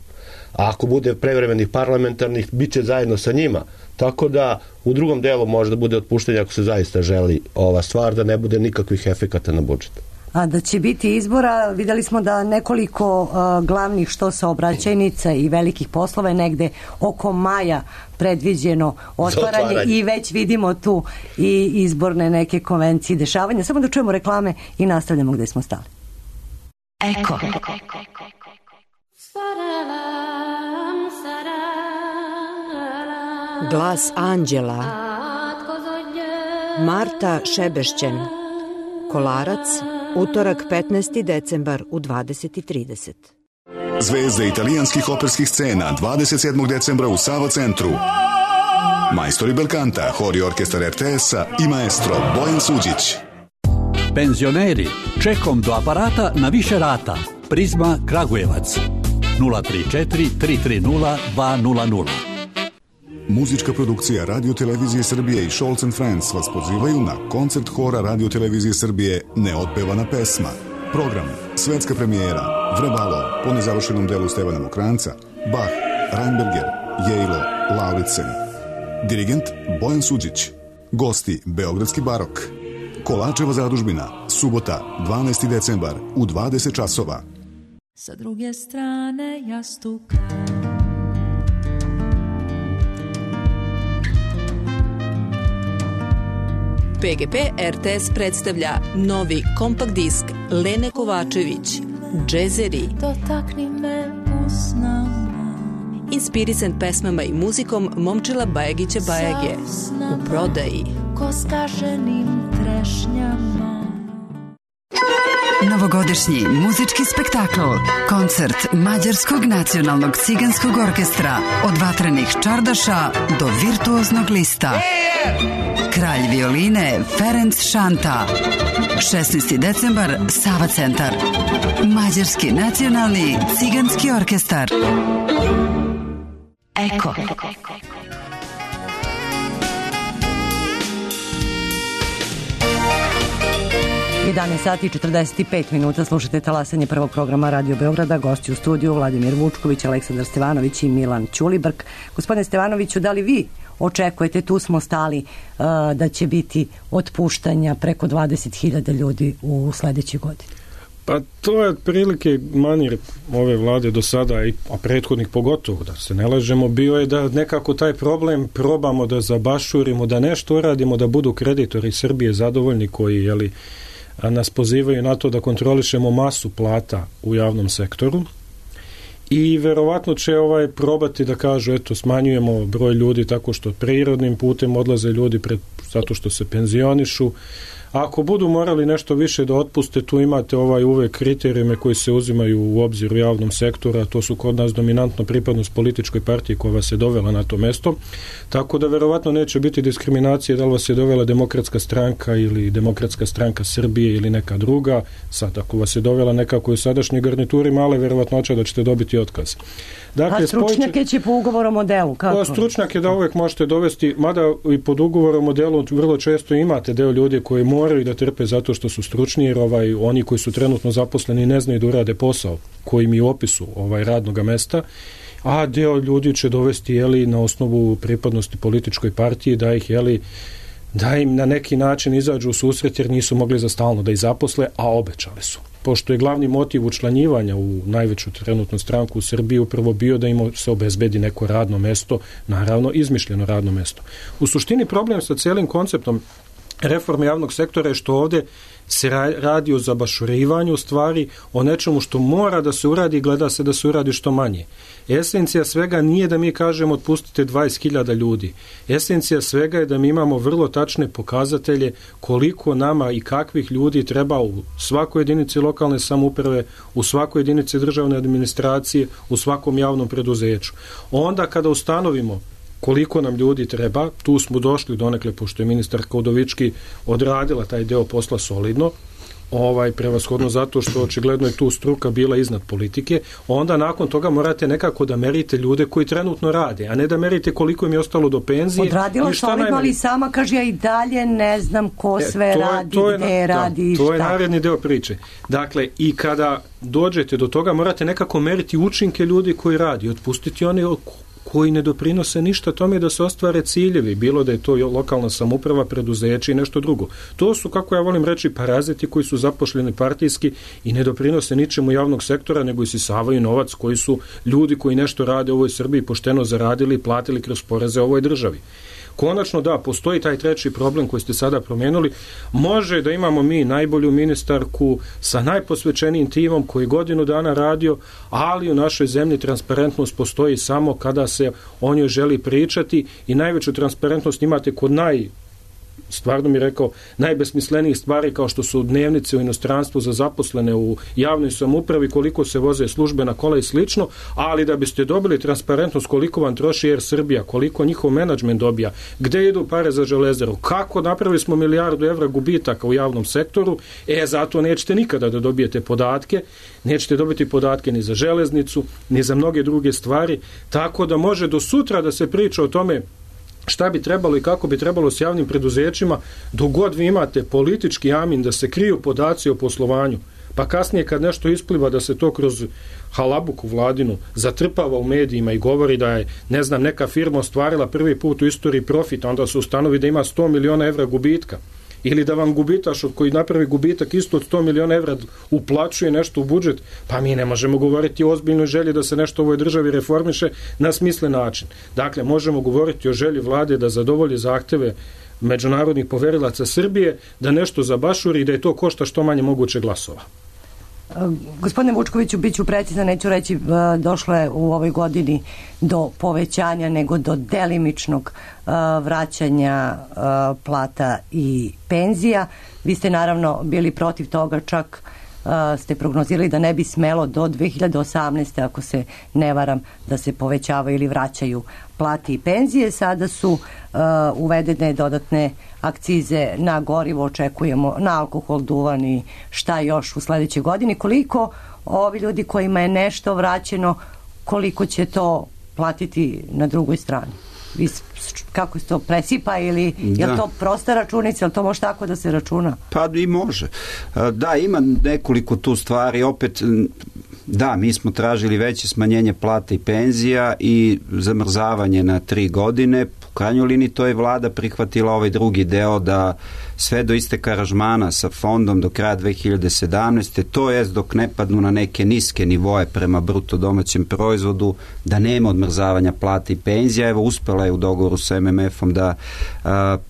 A ako bude prevremenih parlamentarnih, bit će zajedno sa njima. Tako da u drugom delu može da bude otpuštenje ako se zaista želi ova stvar, da ne bude nikakvih efekata na budžet. A da će biti izbora, videli smo da nekoliko glavnih što saobraćajnica i velikih poslova je negde oko maja predviđeno otvaranje i već vidimo tu i izborne neke konvencije i dešavanja. Samo da čujemo reklame i nastavljamo gde smo stali. Eko. Glas anđela. Marta Šebešćen. Kolarac, utorak 15. decembar u 20:30. Zvezde italijanskih operskih scena 27. decembra u Sava centru. Majstori belkanta, hor i orkestar RTS-a i maestro Bojan Suđić. Penzioneri, čekom do aparata na više rata. Prizma Kragujevac 034 330 200. Muzička produkcija Radio Televizije Srbije i Scholz & Friends vas pozivaju na koncert hora Radio Televizije Srbije Neotpevana pesma. Program, svetska premijera, Vrebalo, po nezavršenom delu Stevana Mokranca, Bach, Reinberger, Jejlo, Lauritsen. Dirigent Bojan Suđić. Gosti Beogradski barok. Kolačeva zadužbina, subota, 12. decembar u 20 časova. Sa druge strane jastuka. PGP RTS predstavlja novi kompakt disk Lene Kovačević, Džezeri. Dotakni me usnama. Inspirisan pesmama i muzikom Momčila Bajagića Bajage. U prodaji. Ko skaženim trešnjama. Novogodišnji muzički spektakl, koncert Mađarskog nacionalnog ciganskog orkestra, od vatrenih čardaša do virtuoznog lista. Kralj violine Ferenc Šanta. 16. decembar, Sava centar. Mađarski nacionalni ciganski orkestar. Eko. 11 sati i 45 minuta, slušate talasanje prvog programa Radio Beograda. Gosti u studiju Vladimir Vučković, Aleksandar Stevanović i Milan Ćulibrk. Gospodine Stevanoviću, da li vi očekujete, tu smo stali, da će biti otpuštanja preko 20.000 ljudi u sledećoj godini? Pa to je otprilike manir ove vlade do sada, a prethodnih pogotovo, da se ne lažemo, bio je da nekako taj problem probamo da zabašurimo, da nešto uradimo, da budu kreditori Srbije zadovoljni koji nas pozivaju na to da kontrolišemo masu plata u javnom sektoru i verovatno će probati da kažu eto smanjujemo broj ljudi tako što prirodnim putem odlaze ljudi zato što se penzionišu. Ako budu morali nešto više da otpuste, tu imate uvek kriterijume koji se uzimaju u obzir u javnom sektoru, a to su kod nas dominantno pripadnost političkoj partiji koja vas je dovela na to mesto, tako da verovatno neće biti diskriminacije da li vas je dovela Demokratska stranka ili Demokratska stranka Srbije ili neka druga. Sad, ako vas je dovela nekako u sadašnjoj garnituri, male verovatnoća da ćete dobiti otkaz. Dakle, a stručnjake će po ugovoru o modelu? Kako? Stručnjake da uvek možete dovesti, mada i pod ugovorom o modelu vrlo često imate deo ljudi koji moraju da trpe zato što su stručni, jer oni koji su trenutno zaposleni ne znaju da urade posao koji mi u opisu radnog mesta, a deo ljudi će dovesti na osnovu pripadnosti političkoj partiji da im na neki način izađu u susret jer nisu mogli za stalno da ih zaposle, a obećali su. Pošto je glavni motiv učlanjivanja u najveću trenutnu stranku u Srbiji upravo bio da im se obezbedi neko radno mesto, naravno izmišljeno radno mesto. U suštini problem sa celim konceptom reforme javnog sektora je što ovde se radi o zabašurivanju stvari, o nečemu što mora da se uradi i gleda se da se uradi što manje. Esencija svega nije da mi kažemo otpustite 20.000 ljudi. Esencija svega je da mi imamo vrlo tačne pokazatelje koliko nama i kakvih ljudi treba u svakoj jedinici lokalne samouprave, u svakoj jedinici državne administracije, u svakom javnom preduzeću. Onda kada ustanovimo koliko nam ljudi treba, tu smo došli donekle, pošto je ministarka Udovički odradila taj deo posla solidno, prevashodno zato što očigledno je tu struka bila iznad politike, onda nakon toga morate nekako da merite ljude koji trenutno rade, a ne da merite koliko im je ostalo do penzije. Odradila solidno, ali sama kaže ja i dalje ne znam ko sve radi, gde radi i šta. To je naredni deo priče. Dakle, i kada dođete do toga morate nekako meriti učinke ljudi koji radi, otpustiti one koji ne doprinose ništa tome da se ostvare ciljevi, bilo da je to lokalna samouprava, preduzeće i nešto drugo. To su, kako ja volim reći, paraziti koji su zapošljeni partijski i ne doprinose ničemu javnog sektora, nego isisavaju novac koji su ljudi koji nešto rade u ovoj Srbiji pošteno zaradili i platili kroz poreze ovoj državi. Konačno da, postoji taj treći problem koji ste sada promenuli. Može da imamo mi najbolju ministarku sa najposvećenijim timom koji godinu dana radio, ali u našoj zemlji transparentnost postoji samo kada se o njoj želi pričati i najveću transparentnost imate kod stvarno mi rekao, najbesmislenijih stvari kao što su dnevnice u inostranstvu za zaposlene u javnoj samoupravi, koliko se voze službena kola i slično, ali da biste dobili transparentnost koliko vam troši Air Srbija, koliko njihov menadžment dobija, gde idu pare za Železaru, kako napravili smo milijardu evra gubitaka u javnom sektoru, zato nećete nikada da dobijete podatke, nećete dobiti podatke ni za železnicu, ni za mnoge druge stvari, tako da može do sutra da se priča o tome šta bi trebalo i kako bi trebalo s javnim preduzećima, dok god vi imate politički amin da se kriju podaci o poslovanju, pa kasnije kad nešto ispliva da se to kroz halabuku vladinu zatrpava u medijima i govori da je, ne znam, neka firma ostvarila prvi put u istoriji profit, onda se ustanovi da ima 100 miliona evra gubitka. Ili da vam gubitaš koji napravi gubitak isto od 100 miliona evra uplaćuje nešto u budžet, pa mi ne možemo govoriti o ozbiljnoj želji da se nešto u ovoj državi reformiše na smislen način. Dakle, možemo govoriti o želji vlade da zadovolji zahteve međunarodnih poverilaca Srbije, da nešto zabašuri i da je to košta što manje moguće glasova. Gospodine Vučkoviću, bit ću precizna, neću reći došlo je u ovoj godini do povećanja, nego do delimičnog vraćanja plata i penzija. Vi ste naravno bili protiv toga, čak ste prognozirali da ne bi smelo do 2018. ako se ne varam da se povećavaju ili vraćaju plate i penzije. Sada su uvedene dodatne akcize na gorivo, očekujemo na alkohol, duvan i šta još u sledećoj godini. Koliko ovi ljudi kojima je nešto vraćeno, koliko će to platiti na drugoj strani? kako se to presipa ili je li to prosta računica, ili to može tako da se računa? Pa i može. Da, ima nekoliko tu stvari. Opet, da, mi smo tražili veće smanjenje plata i penzija i zamrzavanje na 3 godine. U krajnjoj liniji to je vlada prihvatila ovaj drugi deo da sve do isteka aranžmana sa fondom do kraja 2017. to jest dok ne padnu na neke niske nivoje prema bruto domaćem proizvodu, da nema odmrzavanja plata i penzija. Evo, uspela je u dogovoru sa MMF-om da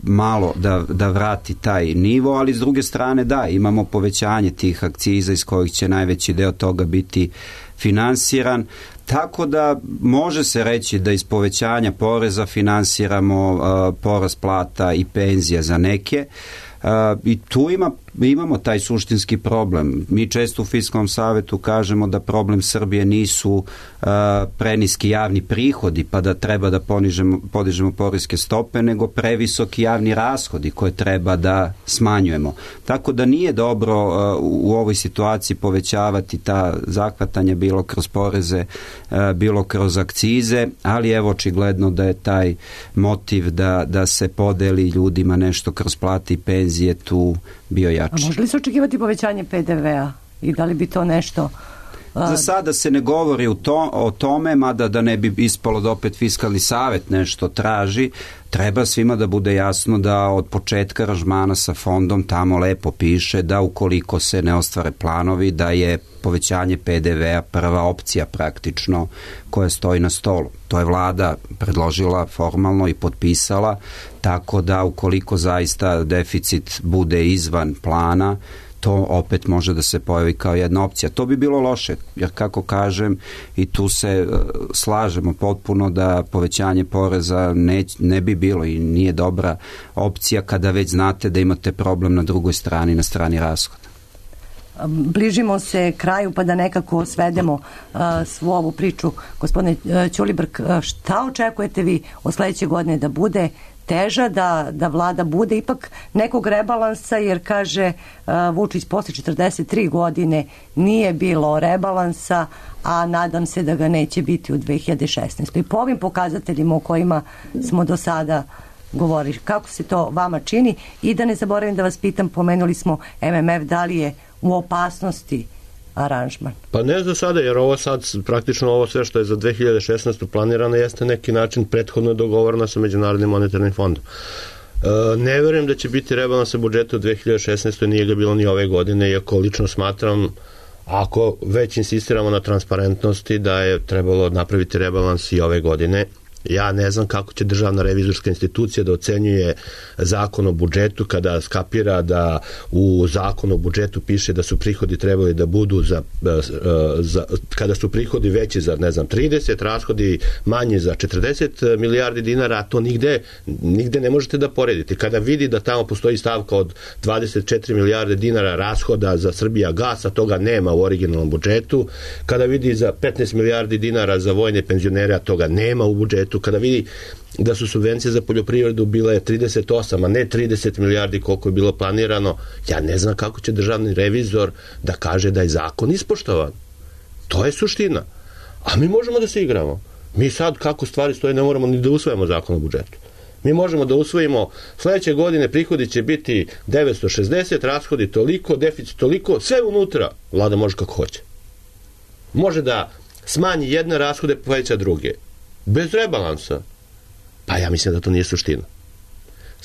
malo da vrati taj nivo, ali s druge strane da, imamo povećanje tih akciza iz kojih će najveći deo toga biti finansiran. Tako da može se reći da iz povećanja poreza finansiramo porast plata i penzija za neke. I tu imamo taj suštinski problem. Mi često u Fiskalnom savetu kažemo da problem Srbije nisu preniski javni prihodi pa da treba da podižemo poreske stope, nego previsoki javni rashodi koje treba da smanjujemo. Tako da nije dobro u ovoj situaciji povećavati ta zahvatanja bilo kroz poreze, bilo kroz akcize, ali evo očigledno da je taj motiv da se podeli ljudima nešto kroz plate i penzije tu bio jači. A može li se očekivati povećanje PDV-a i da li bi to nešto... Za sada se ne govori o tome, mada da ne bi ispalo da opet Fiskalni savet nešto traži. Treba svima da bude jasno da od početka aranžmana sa fondom tamo lepo piše da ukoliko se ne ostvare planovi, da je povećanje PDV-a prva opcija praktično koja stoji na stolu. To je vlada predložila formalno i potpisala, tako da ukoliko zaista deficit bude izvan plana, to opet može da se pojavi kao jedna opcija. To bi bilo loše, jer kako kažem, i tu se slažemo potpuno da povećanje poreza ne bi bilo i nije dobra opcija kada već znate da imate problem na drugoj strani, na strani rashoda. Bližimo se kraju pa da nekako svedemo svu ovu priču. Gospodine Ćulibrk, šta očekujete vi od sledeće godine da bude teža, da vlada bude ipak nekog rebalansa, jer kaže Vučić posle 43 godine nije bilo rebalansa, a nadam se da ga neće biti u 2016. I po ovim pokazateljima o kojima smo do sada govorili, kako se to vama čini? I da ne zaboravim da vas pitam, pomenuli smo MMF, da li je u opasnosti aranžman? Pa ne za sada, jer ovo sad, praktično ovo sve što je za 2016. planirano jeste neki način prethodno dogovoreno sa Međunarodnim monetarnim fondom. Ne verujem da će biti rebalansa budžeta u 2016. Nije ga bilo ni ove godine, iako lično smatram, ako već insistiramo na transparentnosti, da je trebalo napraviti rebalans i ove godine. Ja ne znam kako će državna revizorska institucija da ocenjuje zakon o budžetu kada skapira da u zakonu o budžetu piše da su prihodi trebali da budu kada su prihodi veći za 30, rashodi manji za 40 milijardi dinara, to nigde ne možete da poredite. Kada vidi da tamo postoji stavka od 24 milijarde dinara rashoda za Srbijagas, a toga nema u originalnom budžetu, kada vidi za 15 milijardi dinara za vojne penzionere, a toga nema u budžetu, kada vidi da su subvencije za poljoprivredu bile 38, a ne 30 milijardi koliko je bilo planirano, ja ne znam kako će državni revizor da kaže da je zakon ispoštovan. To je suština. A mi možemo da se igramo. Mi sad, kako stvari stoje, ne moramo ni da usvojimo zakon o budžetu. Mi možemo da usvojimo sledeće godine prihodi će biti 960, rashodi toliko, deficit toliko, sve unutra. Vlada može kako hoće. Može da smanji jedne rashode, poveća druge. Bez rebalansa. Pa ja mislim da to nije suština.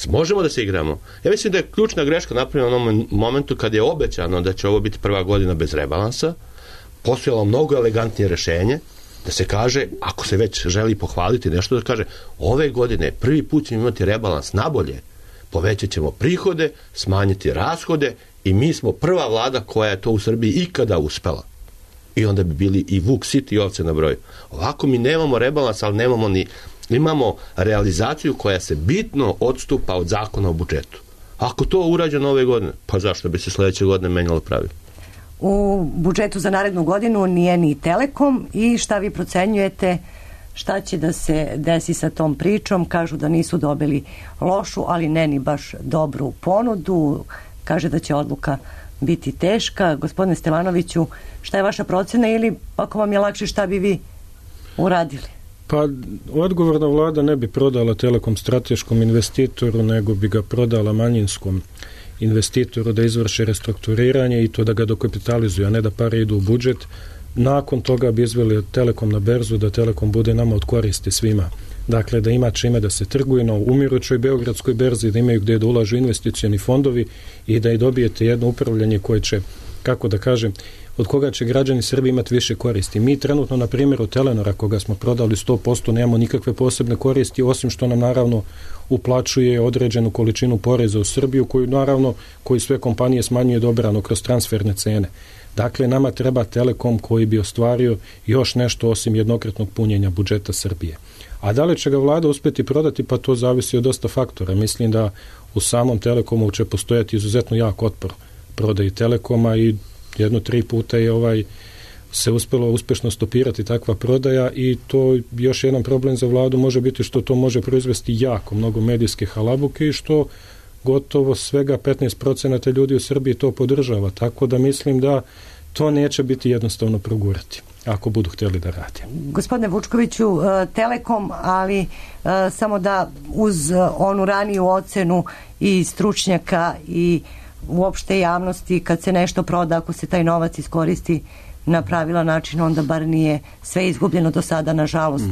Možemo da se igramo. Ja mislim da je ključna greška napravljena u onom momentu kad je obećano da će ovo biti prva godina bez rebalansa. Postojalo mnogo elegantnije rešenje da se kaže, ako se već želi pohvaliti nešto, da kaže ove godine prvi put ćemo imati rebalans nabolje. Povećat ćemo prihode, smanjiti rashode i mi smo prva vlada koja je to u Srbiji ikada uspela. I onda bi bili i vuk sit i ovce na broju. Ovako mi nemamo rebalans, ali imamo realizaciju koja se bitno odstupa od zakona o budžetu. Ako to urađeno ove godine, pa zašto bi se sledeće godine menjalo pravilo? U budžetu za narednu godinu nije ni Telekom i šta vi procenjujete šta će da se desi sa tom pričom? Kažu da nisu dobili lošu, ali ne ni baš dobru ponudu. Kaže da će odluka biti teška. Gospodine Stevanoviću, šta je vaša procena ili ako vam je lakše šta bi vi uradili? Pa odgovorna vlada ne bi prodala Telekom strateškom investitoru, nego bi ga prodala manjinskom investitoru da izvrši restrukturiranje i to da ga dokapitalizuju, a ne da pare idu u budžet. Nakon toga bi izveli Telekom na berzu, da Telekom bude nama od koristi svima. Dakle, da ima čime da se trguje na umirućoj beogradskoj berzi, da imaju gdje da ulažu investicioni fondovi i da i dobijete jedno upravljanje koje će, kako da kažem, od koga će građani Srbije imati više koristi. Mi trenutno, na primjeru Telenora, koga smo prodali 100%, nemamo nikakve posebne koristi, osim što nam naravno uplaćuje određenu količinu poreza u Srbiju, koju sve kompanije smanjuje dobrano kroz transferne cene. Dakle, nama treba Telekom koji bi ostvario još nešto osim jednokratnog punjenja budžeta Srbije. A da li će ga vlada uspjeti prodati, pa to zavisi od dosta faktora. Mislim da u samom Telekomu će postojati izuzetno jak otpor prodaji Telekoma i 1-3 puta je se uspjelo uspješno stopirati takva prodaja i to još jedan problem za vladu može biti što to može proizvesti jako mnogo medijske halabuke i što gotovo svega 15% ljudi u Srbiji to podržava, tako da mislim da to neće biti jednostavno progurati ako budu htjeli da rade. Gospodine Vučkoviću, Telekom, ali samo da uz onu raniju ocenu i stručnjaka i uopšte javnosti, kad se nešto proda, ako se taj novac iskoristi na pravilan način, onda bar nije sve izgubljeno do sada, nažalost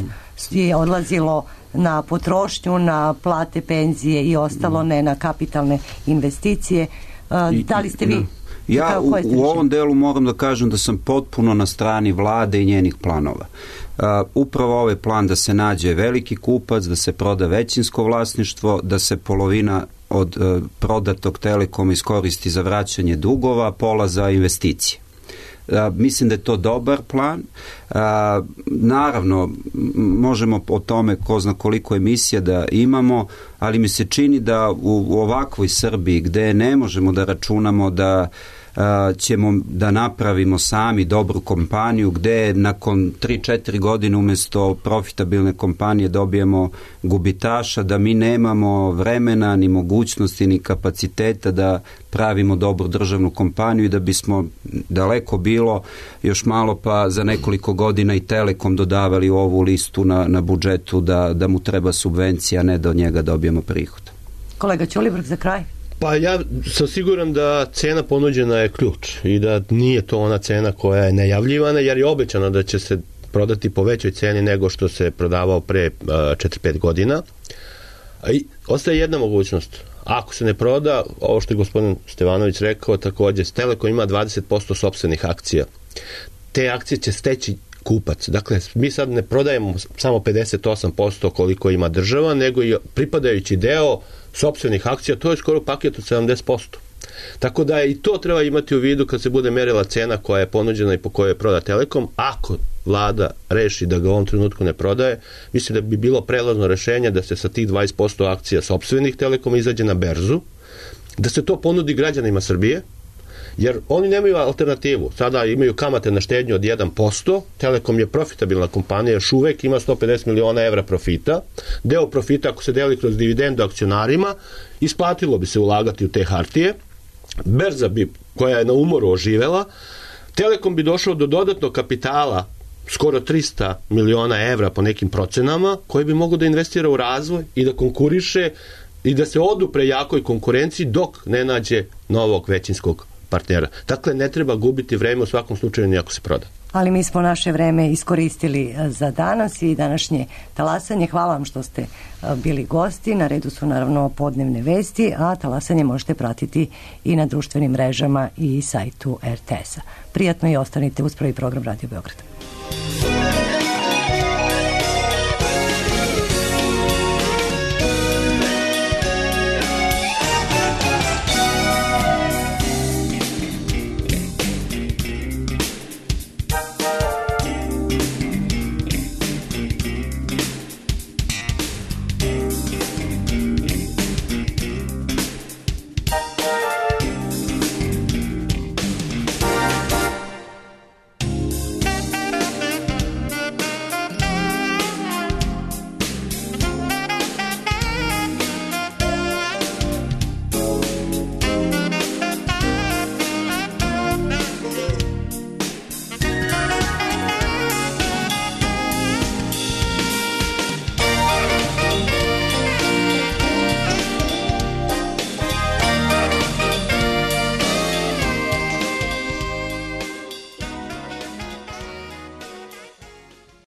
je odlazilo na potrošnju, na plate, penzije i ostalo, ne na kapitalne investicije. Da li ste vi? Ja u ovom delu moram da kažem da sam potpuno na strani vlade i njenih planova. Upravo ovaj plan da se nađe veliki kupac, da se proda većinsko vlasništvo, da se polovina od prodatog Telekoma iskoristi za vraćanje dugova, pola za investicije. Mislim da je to dobar plan. Naravno, možemo o tome ko zna koliko emisija da imamo, ali mi se čini da u ovakvoj Srbiji gde ne možemo da računamo da ćemo da napravimo sami dobru kompaniju, gde nakon 3-4 godine umjesto profitabilne kompanije dobijemo gubitaša, da mi nemamo vremena, ni mogućnosti, ni kapaciteta da pravimo dobru državnu kompaniju i da bismo daleko bilo još malo pa za nekoliko godina i Telekom dodavali u ovu listu na budžetu da mu treba subvencija, a ne da od njega dobijemo prihod. Kolega Ćulibrk, za kraj. Pa ja sam siguran da cena ponuđena je ključ i da nije to ona cena koja je najavljivana, jer je obećano da će se prodati po većoj ceni nego što se prodavao pre 4-5 godina. I ostaje jedna mogućnost. Ako se ne proda, ovo što je gospodin Stevanović rekao, također Telekom ima 20% sopstvenih akcija. Te akcije će steći kupac. Dakle, mi sad ne prodajemo samo 58% koliko ima država, nego i pripadajući deo sopstvenih akcija, to je skoro paket od 70%. Tako da i to treba imati u vidu kad se bude merila cena koja je ponuđena i po kojoj je proda Telekom. Ako vlada reši da ga u ovom trenutku ne prodaje, mislim da bi bilo prelazno rešenje da se sa tih 20% akcija sopstvenih Telekoma izađe na berzu, da se to ponudi građanima Srbije, jer oni nemaju alternativu. Sada imaju kamate na štednju od 1%, Telekom je profitabilna kompanija, još uvek ima 150 miliona evra profita. Deo profita, ako se deli kroz dividendu akcionarima, isplatilo bi se ulagati u te hartije. Berza bi, koja je na umoru oživela, Telekom bi došao do dodatnog kapitala skoro 300 miliona evra po nekim procenama, koji bi mogao da investira u razvoj i da konkuriše i da se odupre jakoj konkurenciji dok ne nađe novog većinskog partnera. Dakle, ne treba gubiti vreme u svakom slučaju nijako se proda. Ali mi smo naše vreme iskoristili za danas i današnje talasanje. Hvala vam što ste bili gosti. Na redu su naravno podnevne vesti, a talasanje možete pratiti i na društvenim mrežama i sajtu RTS-a. Prijatno i ostanite uz prvi program Radio Beograd.